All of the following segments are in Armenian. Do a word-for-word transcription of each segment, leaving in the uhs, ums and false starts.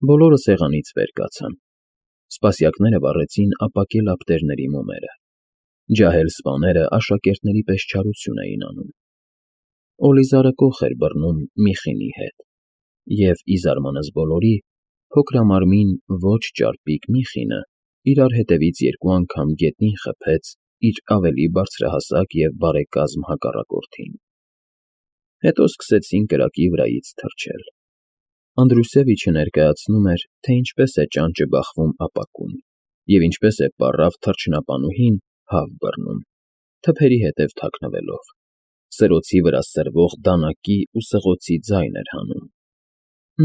Բոլորը սեղանից վեր կացան, սպասյակները վառեցին ապակե լապտերների մոմերը, ջահել սպաները աշակերտների պես չարություն էին անում, Օլիզարը կոխ էր բռնում Միխինի հետ, և, ի զարմանս բոլորի, փոքրամարմին ոչ ճարպիկ Միխինը իրար հետևից երկու անգամ գետնին խփեց իր ավելի բարձրահասակ և բարեկազմ հակառակորդին, հետո սկսեցին կրակի վրայից թռչել. Անդրուսևիչը ներկայացնում էր, թե ինչպես է ճանճը բախվում ապակուն և ինչպես է պառավ թռչնապանուհին հավ բռնում, թփերի հետև թաքնվելով, սրոցի վրա սրվող դանակի ու սղոցի ձայն էր հանում.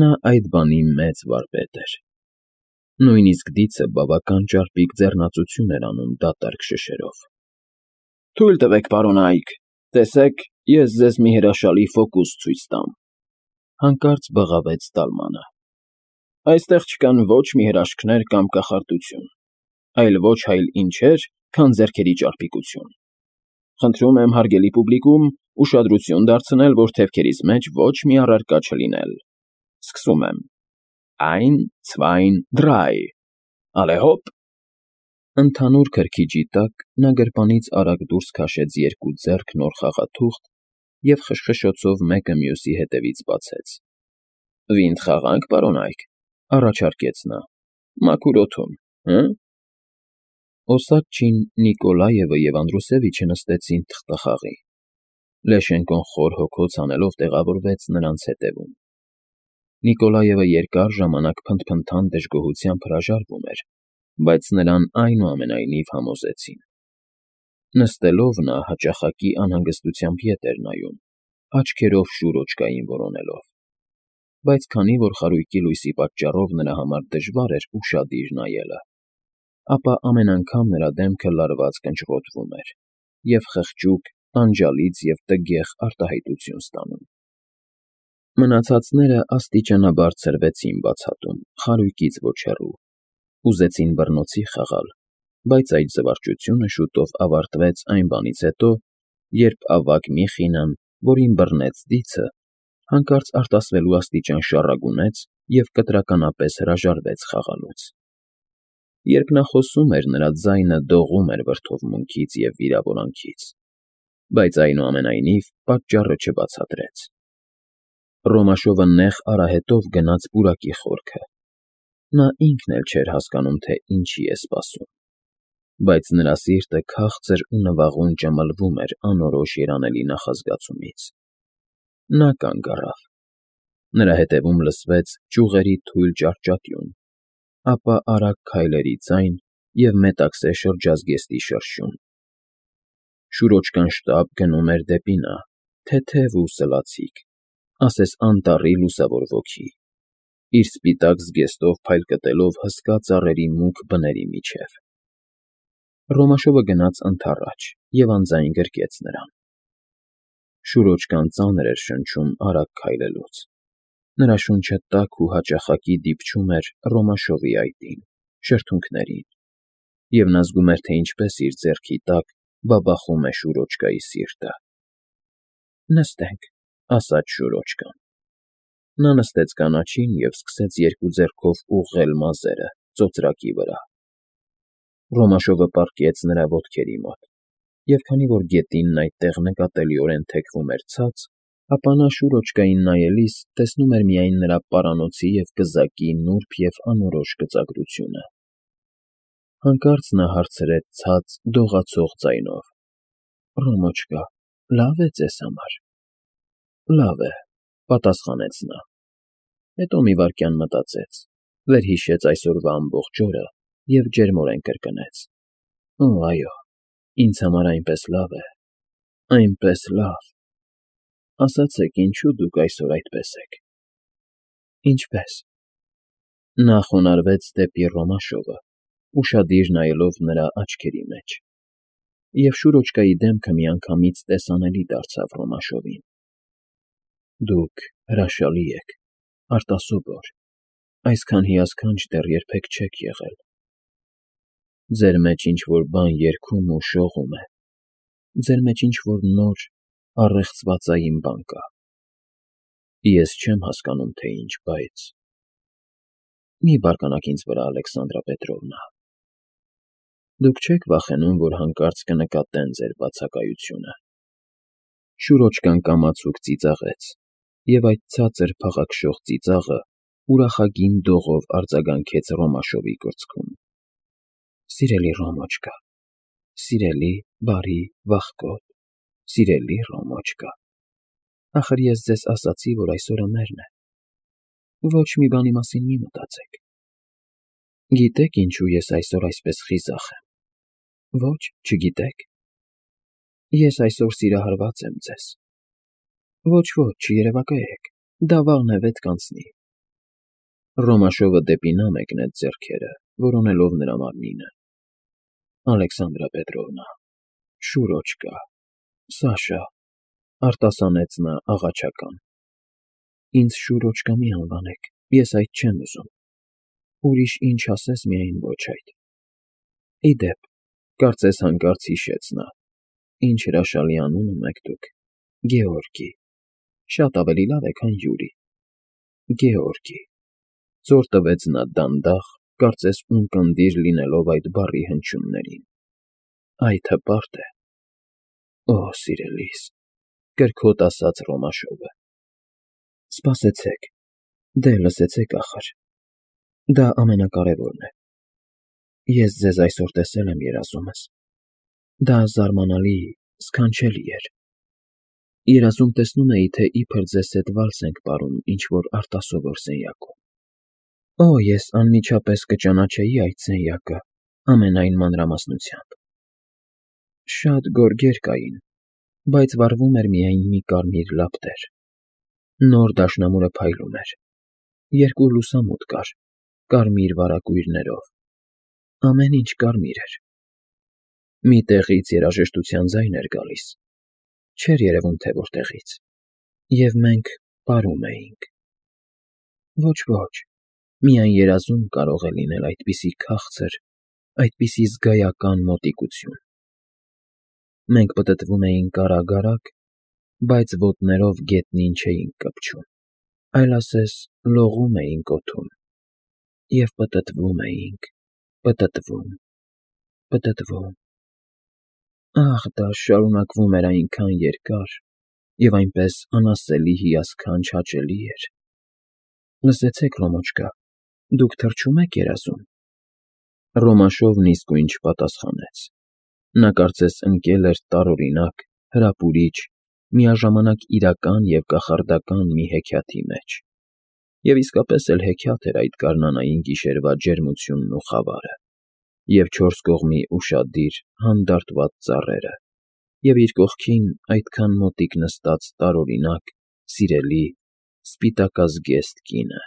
նա այդ բանի մեծ վարպետ էր, նույնիսկ դիցը բավական ճարպիկ ձեռնածություն էր անում դատարկ շշերով։ ֊ Թույլ տվեք, պարոնայք, տեսեք, ես ձեզ մի հրաշալի ֆոկուս ցույց տամ,֊ հանկարծ բղավեց Ստալմանը։ Այստեղ չկան ոչ մի հրաշքներ կամ կախարդություն, այլ ոչ այլ ինչեր, քան ձեռքերի ճարպիկություն։ Խնդրում եմ, հարգելի պուբլիկում, ուշադրություն դարձնել, որ թևքերիս մեջ ոչ մի առարկա չլինել։ Սկսում եմ. Ein, zwei, drei, allez hopp… Ընդհանուր քրքիջի տակ նա գրպանից արագ դուրս քաշեց երկու ձեռք նոր խաղաթուղթ և խշխշոցով մեկը մյուսի հետևից բացեց։ ֊ Վինդ խաղա՞նք, պարոնայք,֊ առաջարկեց նա,֊ մաքուր օդում, հը՞… Օսատչին, Նիկոլաևը և Անդրուսևիչը նստեցին թղթախաղի, Լեշենկոն խոր հոգոց անելով տեղավորվեց նրանց ետևում։ Նիկոլաևը երկար ժամանակ փնթփնթան դժգոհությամբ հրաժարվում էր, բայց նրան այնուամենայնիվ համոզեցին։ Նստելով նա հաճախակի անհանգստությամբ ետ էր նայում, աչքերով շուրոճկային որոնելով, բայց քանի որ խարույկի լույսի պատճառով նրա համար դժվար էր ուշադիր նայելը, ապա ամեն անգամ նրա դեմքը լարված կնճռոտվում էր և խղճուկ, տանջալից և տգեղ արտահայտություն ստանում։ Մնացածները աստիճանաբար ցրվեցին բացատում, խարույկից ոչ հեռու, ուզեցին բռնոցի խաղալ, բայց այդ զվարճությունը շուտով ավարտվեց այն բանից հետո, երբ ավագ Միխինան, որին բռնեց դիցը, հանկարծ արտասվելու աստիճան շառագունեց և կտրականապես հրաժարվեց խաղալուց։ Երբ նա խոսում էր, նրա ձայնը դողում էր վրդովմունքից և վիրավորանքից, բայց այնուամենայնիվ պատճառը չբացատրեց։ Ռոմաշովը նեղ արահետով գնաց պուրակի խորքը, նա ինքն էլ չէր հասկանում, թե ինչի է սպասում, բայց նրա սիրտը քաղցր ու նվաղուն ճմլվում էր անորոշ երանելի նախազգացումից։ Նա կանգ առավ, նրա ետևում լսվեց ճյուղերի թույլ ճահճատյուն, ապա արագ քայլերի ձայն և մետաքսե շրջազգեստի շրշյուն։ Շուրոճկան շտապ գնում էր դեպի նա, թեթև ու սլացիկ, ասես անտառի լուսավոր ոգի, իր սպիտակ զգեստով փայլկտելով հսկա ծառերի մուգ բների միջև։ Ռոմաշովը գնաց ընդառաջ և անձայն գրկեց նրան։ Շուրոճկան ծանր էր շնչում արագ քայլելուց, նրա շունչը տաք ու հաճախակի դիպչում էր Ռոմաշովի այտին, շրթունքներին, և նա զգում էր, թե ինչպես իր ձեռքի տակ բաբախում է շուրոճկայի սիրտը։ ֊ Նստենք,֊ ասաց շուրոճկան։ Նա նստեց կանաչին և սկսեց երկու ձեռքով ուղղել մազերը ծոծրակի վրա։ Ռոմաշովը պառկեց նրա ոտքերի մոտ, և քանի որ գետինն այդտեղ նկատելիորեն թեքվում էր ցած, ապա նա շուրոճկային նայելիս տեսնում էր միայն նրա պարանոցի և կզակի նուրբ և անորոշ գծագրությունը։ Հանկարծ նա հարցրեց ցած, դողացող ձայնով. ֊ Ռոմոչկա, լավ է ձեզ համար։ ֊ Լավ է,֊ պատասխանեց նա, հետո մի վայրկյան մտածեց, վերհիշեց այսօրվա ամբողջ օրը և ջերմորեն կրկնեց. Օ, այո, ինձ համար այնպես լավ է, այնպես լավ… Ասացեք, ինչո՞ւ դուք այսօր այդպես եք։ ֊ Ինչպե՞ս… Նա խոնարհվեց դեպի Ռոմաշովը, ուշադիր նայելով նրա աչքերի մեջ, և շուրոճկայի դեմքը միանգամից տեսանելի դարձավ Ռոմաշովին։ ֊ Դուք հրաշալի եք, արտասովոր, այսքան հիասքանչ դեռ երբեք չեք եղել… Ձեր մեջ ինչ֊որ բան երգում ու շողում է, ձեր մեջ ինչ֊որ նոր, առեղծվածային բան կա… Ես չեմ հասկանում, թե ինչ, բայց… Մի բարկանաք ինձ վրա, Ալեքսանդրա Պետրովնա։ Դուք չեք վախենում, որ հանկարծ կնկատեն ձեր բացակայությունը։ Շուրոջկան կամացուկ ծիծաղեց, և այդ ցածր փաղաքշող ծիծաղը ուրախագին դողով արձագանքեց Ռոմաշովի կրծքում։ Սիրելի Ռոմոչկա, սիրելի, բարի, վախկոտ, սիրելի Ռոմոչկա, ախր ես ձեզ ասացի, որ այսօրը մերն է։ Ոչ մի բանի մասին մի մտածեք։ Գիտե՞ք ինչու ես այսօր այսպես խիզախ եմ։ Ոչ, չգիտեք։ Ես այսօր սիրահարված եմ ձեզ։ Ոչ, ոչ, չերևակայեք, դա վաղն է վետ կանցնի։ Ռոմաշովը դեպի նա մեկնեց ձեռքերը, որոնելով նրա մարմինը։ Ալեքսանդրա Պետրովնա, Շուրոջկա, Սաշա, արտասանեց նա աղաչական։ Ինձ Շուրոջկա մի անվանեք, ես այդ չեմ ուզում։ Ուրիշ ինչ ասես, միայն ոչ այդ։ Ի դեպ, կարծես հանկարծ հիշեց նա. ինչ հրաշալի անուն ունեք դուք, Գեորգի, շատ ավելի լավ է, քան Յուրի։ Գեորգի, ծոր տվեց նա դանդաղ, կարծես ունկնդիր լինելով այդ բառի հնչյուններին։ Այդ հպարտ է։ Օ, սիրելիս, կրքոտ ասաց Ռոմաշովը։ Սպասեցեք, դե լսեցեք ախր։ Դա ամենակարևորն է։ Ես ձեզ այսօր տեսել եմ երազումս։ Դա զարմանալի, սքանչելի էր։ Երազում տեսնում էի, թե իբր ձեզ հետ վալս ենք պարում ինչ-որ արտասովոր սենյակում։ Օ, ես անմիջապես կճանաչեի այդ սենյակը ամենայն մանրամասնությամբ։ Շատ գորգեր կային, բայց վառվում էր միայն մի կարմիր լապտեր։ Նոր դաշնամուրը փայլում էր։ Երկու լուսամուտ կար, կարմիր վարագույրներով։ Ամեն ինչ կարմիր էր։ Մի տեղից երաժշտության ձայն էր գալիս։ Չէր երևում, թե որտեղից։ Եվ մենք պարում էինք։ Ոչ, ոչ, միայն երազում կարող է լինել այդպիսի քաղցր, այդպիսի զգայական մոտիկություն։ Մենք պտտվում էինք արագ-արագ, բայց ոտներով գետնին չէինք կպչում, այլ ասես լողում էինք օդում։ Եվ պտտվում էինք, պտտվում, պտտվում։ Ախ, դա շարունակվում էր այնքան երկար, և այնպես անասելի հիասքանչ հաճելի էր։ Լսեցեք, Ռոմոչկա, դուք թռչո՞ւմ եք երազում։ Ռոմաշովն իսկույն չպատասխանեց։ Նա կարծես ընկել էր տարօրինակ, հրապուրիչ, միաժամանակ իրական և կախարդական մի հեքիաթի մեջ։ Եվ իսկապես էլ հեքիաթ էր այդ գարնանային գիշերվա ջերմությունն ու խավարը, և չորս կողմի ուշադիր, հանդարտված ծառերը, և իր կողքին այդքան մոտիկ նստած տարօրինակ, սիրելի, սպիտակազգեստ կինը։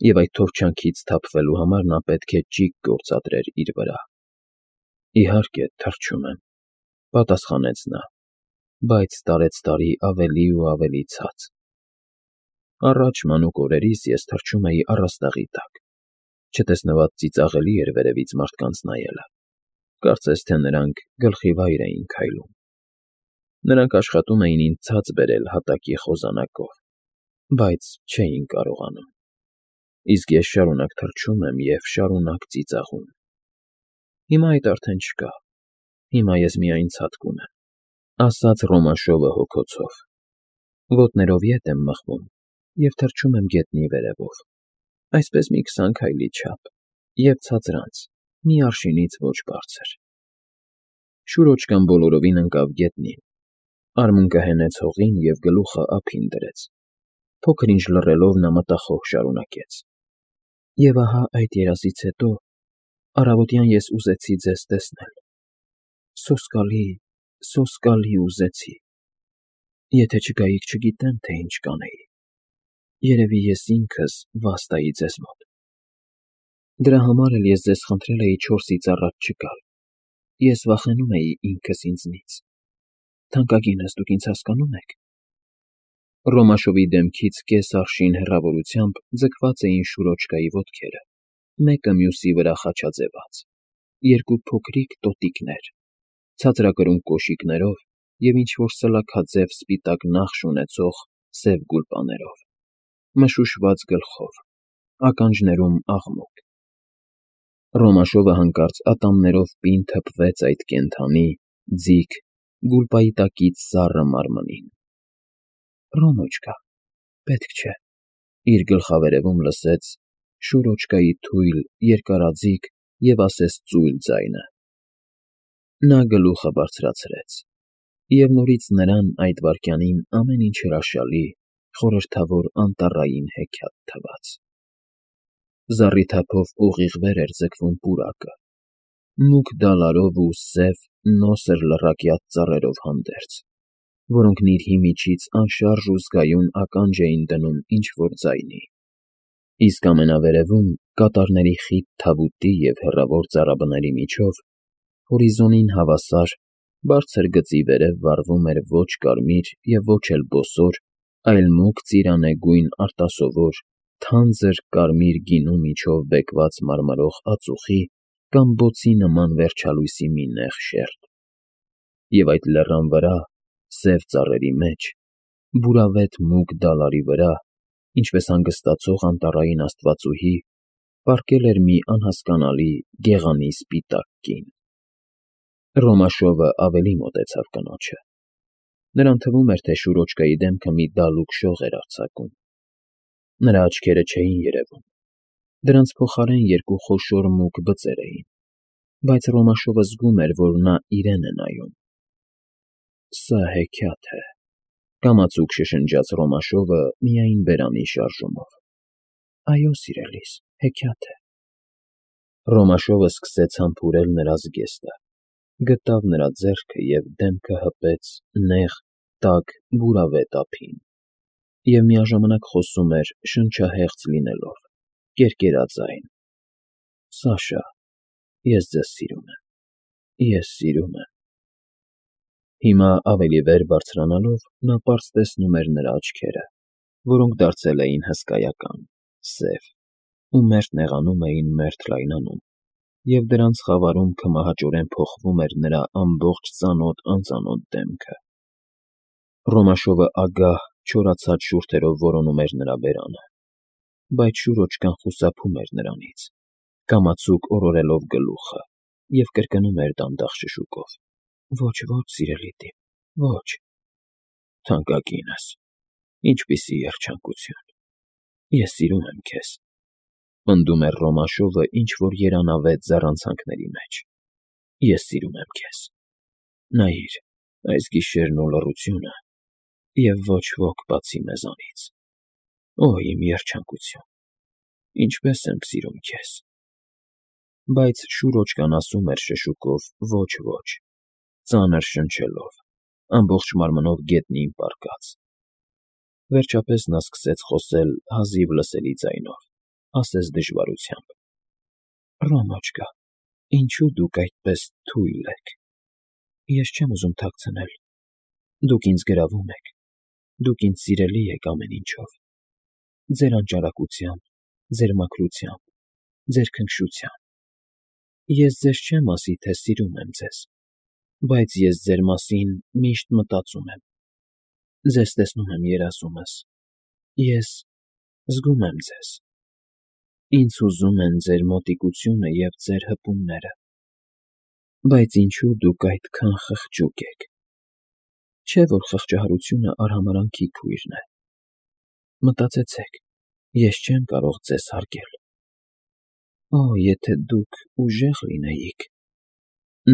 Եվ այդ թովչանքից թափվելու համար նա պետք է ճիգ գործադրեր իր վրա։ Իհարկե, թռչում եմ, պատասխանեց նա, բայց տարեցտարի ավելի ու ավելի ցած։ Առաջ մանուկ օրերիս ես թռչում էի առաստաղի տակ, չտեսնված ծիծաղելի էր վերևից մարդկանց նայելը, կարծես թե նրանք գլխիվայր էին քայլում։ Նրանք աշխատում էին ինձ ցած բերել հատակի խոզանակով, բայց չէին կարողանում։ Իսկ ես շարունակ թռչում եմ և շարունակ ծիծաղում։ Հիմա այդ արդեն չկա, հիմա ես միայն ցատկում եմ, ասաց Ռոմաշովը հոգոցով։ Ոտներով ետ եմ մղվում և թռչում եմ գետնի վերևով, այսպես մի քսան քայլի չափ, և ցածրանց, մի արշինից ոչ բարձր։ Շուրոջկան բոլորովին ընկավ գետնին, արմունկը հենեց հողին և գլուխը ափին դրեց։ Փոքր-ինչ լռելով նա մտախոհ շարունակեց. Եվ ահա այդ երազից հետո առավոտյան ես ուզեցի ձեզ տեսնել։ Սոսկալի, սոսկալի ուզեցի։ Եթե չգայիք, չգիտեմ, թե ինչ կանեի։ Երևի ես ինքս վաստայի ձեզ մոտ։ Դրա համար էլ ես ձեզ խնդրել էի չորսից առաջ չգալ։ Ես վախենում էի ինքս ինձնից։ Թանկագինս, դուք ինձ հասկանո՞ւմ եք։ Ռոմաշովի դեմքից կես արշին հեռավորությամբ ձգված էին Շուրոջկայի ոտքերը, մեկը մյուսի վրա խաչաձևած, երկու փոքրիկ տոտիկներ, ցածրակրուն կոշիկներով և ինչ֊որ սլաքաձև սպիտակ նախշ ունեցող սև գուլպաներով, մշուշված գլխով, ականջներում աղմուկ։ Ռոմաշովը հանկարծ ատամներով պին թփվեց այդ կենդանի, ձիգ, գուլպայի սառը մարմնին։ Ռոմոչկա, պետք չէ, իր գլխավերևում լսեց Շուրոչկայի թույլ, երկարաձիգ և ասես ծույլ ձայնը։ Նա գլուխը բարձրացրեց, և նորից նրան այդ վայրկյանին ամեն ինչ հրաշալի, խորհրդավոր անտառային հեքիաթ թվաց։ Զառիթափով ուղիղ վեր էր ձգվում պուրակը, մուգ դալարով ու սև, նոսր լռակյաց ծառերով հանդերձ, որոնք նիրհի միջից անշարժ ու զգայուն ականջ էին դնում ինչ֊որ ձայնի, իսկ ամենավերևում, կատարների խիտ թավուտի և հեռավոր ծառաբների միջով, հորիզոնին հավասար, բարձր գծի վերև վառվում էր ոչ կարմիր և ոչ էլ բոսոր, այլ մուգ ծիրանե գույն արտասովոր, թանձր կարմիր գինու միջով բեկված մարմրող ածուխի կամ բոցի նման վերջալույսի մի նեղ շերտ, և այդ լեռան վրա, սև ծառերի մեջ, բուրավետ մուգ դալարի վրա, ինչպես հանգստացող անտառային աստվածուհի, պառկել էր մի անհասկանալի, գեղանի սպիտակ կին։ Ռոմաշովը ավելի մոտեցավ կնոջը։ Նրան թվում էր, թե Շուրոչկայի դեմքը մի դալուկ շող էր արձակում։ Նրա աչքերը չէին երևում, դրանց փոխարեն երկու խոշոր մուգ բծեր էին, բայց Ռոմաշովը զգում էր, որ նա իրեն է նայում։ Սա հեքիաթ է, կամացուկ շշնջաց Ռոմաշովը միայն բերանի շարժումով։ Այո, սիրելիս, հեքիաթ է։ Ռոմաշովը սկսեց համբուրել նրա զգեստը, գտավ նրա ձեռքը և դեմքը հպեց նեղ, տաք, բուրավետ ափին, և միաժամանակ խոսում էր շնչահեղձ լինելով, կերկերաձայն. Սաշա, ես ձեզ սիրում եմ, ես սիրում եմ… Հիմա ավելի վեր բարձրանալով նա պարզ տեսնում էր նրա աչքերը, որոնք դարձել էին հսկայական, սև ու մերթ նեղանում էին, մերթ լայնանում, և դրանց խավարում քմահաճորեն փոխվում էր նրա ամբողջ ծանոթ֊անծանոթ դեմքը։ Ռոմաշովը ագահ, չորացած շուրթերով որոնում էր նրա բերանը, բայց Շուրոչկան խուսափում էր նրանից, կամացուկ օրորելով գլուխը, և կրկնում էր դանդաղ շշուկով. Ոչ, ոչ, սիրելի տի՛ր, ոչ… Թանկագինս, ինչպիսի երջանկություն… Ես սիրում եմ քեզ, պնդում էր Ռոմաշովը ինչ֊որ երանավետ ձեռանցանքների մեջ։ Ես սիրում եմ քեզ… Նայիր, այս գիշերն ու լռությունը, և ոչ ոք բացի մեզանից… Օ, իմ երջանկություն… Ինչպես եմ սիրում քեզ… Բայց Շուրոչկան ասում էր շշուկով. Ոչ, ոչ… ծանր շնչելով, ամբողջ մարմնով գետնին պառկած… Վերջապես նա սկսեց խոսել հազիվ լսելի ձայնով, ասես դժվարությամբ. Ռոմոչկա, ինչո՞ւ դուք այդպես թույլ եք… Ես չեմ ուզում թաքցնել… Դուք ինձ գրավում եք… Դուք ինձ սիրելի եք ամեն ինչով… Ձեր անճարակությամբ, ձեր մաքրությամբ, ձեր քնքշությամբ… Ես ձեզ չեմ ասի, թե սիրում եմ ձեզ… Բայց ես ձեր մասին միշտ մտածում եմ… Ձեզ տեսնում եմ երազումս… Ես… զգում եմ ձեզ… Ինձ հուզում են ձեր մոտիկությունը և ձեր հպումները… Բայց ինչո՞ւ դուք այդքան խղճուկ եք… Չէ՞ որ խղճահարությունը արհամարհանքի քույրն է… Մտածեցեք, ես չեմ կարող ձեզ հարգել… Օ, եթե դուք ուժեղ լինեիք…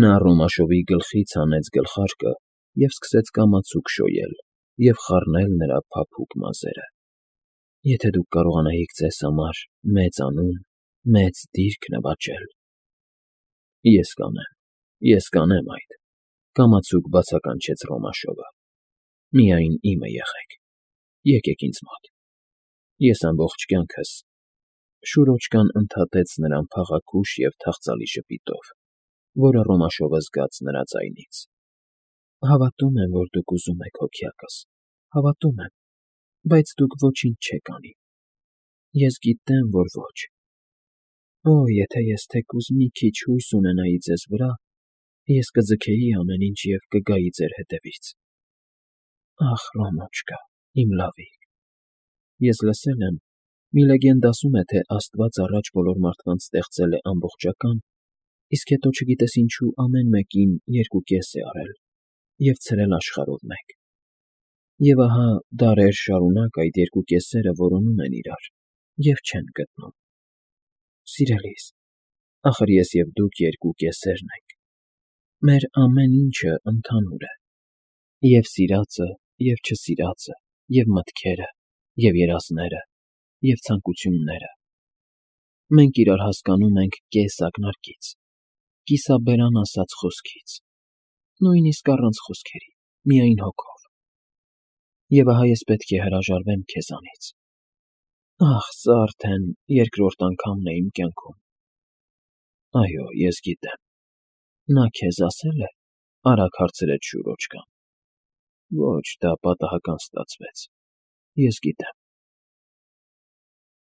Նա Ռոմաշովի գլխից հանեց գլխարկը և սկսեց կամացուկ շոյել և խառնել նրա փափուկ մազերը… Եթե դուք կարողանայիք ձեզ համար մեծ անուն, մեծ դիրք նվաճել… Ես կանեմ, ես կանեմ այդ…֊ կամացուկ բացականչեց Ռոմաշովը… Միայն իմը եղեք… Եկեք ինձ մոտ… Ես ամբողջ կյանքս… Շուրոչկան ընդհատեց նրան փաղաքուշ և թախծալի ժպիտով, որը Ռոմաշովը զգաց նրա ձայնից… Հավատում եմ, որ դուք ուզում եք հոգյակս… Հավատում եմ… Բայց դուք ոչինչ չեք անի… Ես գիտեմ, որ ոչ… Օ, եթե ես թեկուզ մի քիչ հույս ունենայի ձեզ վրա, ես կձգեի ամեն ինչ և կգայի ձեր հետևից… Ախ, Ռոմոչկա, իմ լավիկ… Ես լսել եմ, Մի լեգենդ ասում է, թե Աստված առաջ բոլոր մարդկանց ստեղծել է ամբողջական, իսկ հետո չգիտես ինչու ամեն մեկին երկու կես է արել և ցրել աշխարհով մեկ. և ահա դարեր շարունակ այդ երկու կեսերը որոնում են իրար և չեն գտնում։ Սիրելի՛ս, ախր ես և դուք երկու կեսերն ենք, մեր ամեն ինչը ընդհանուր է՝ և սիրածը, և չսիրածը, և մտքերը, և երազները, և ցանկությունները։ Մենք իրար հասկանում ենք կես ակնարկից, կիսաբերան ասած խոսքից, նույնիսկ առանց խոսքերի, միայն հոգով։ Եվ ահա ես պետք է հրաժարվեմ քեզանից։ Ախ, սա արդեն երկրորդ անգամն է իմ կյանքում։ Այո, ես գիտեմ, նա քեզ ասե՞լ է,֊ արագ հարցրեց շուրոջկան։ Ոչ, դա պատահական ստացվեց, ես գիտեմ։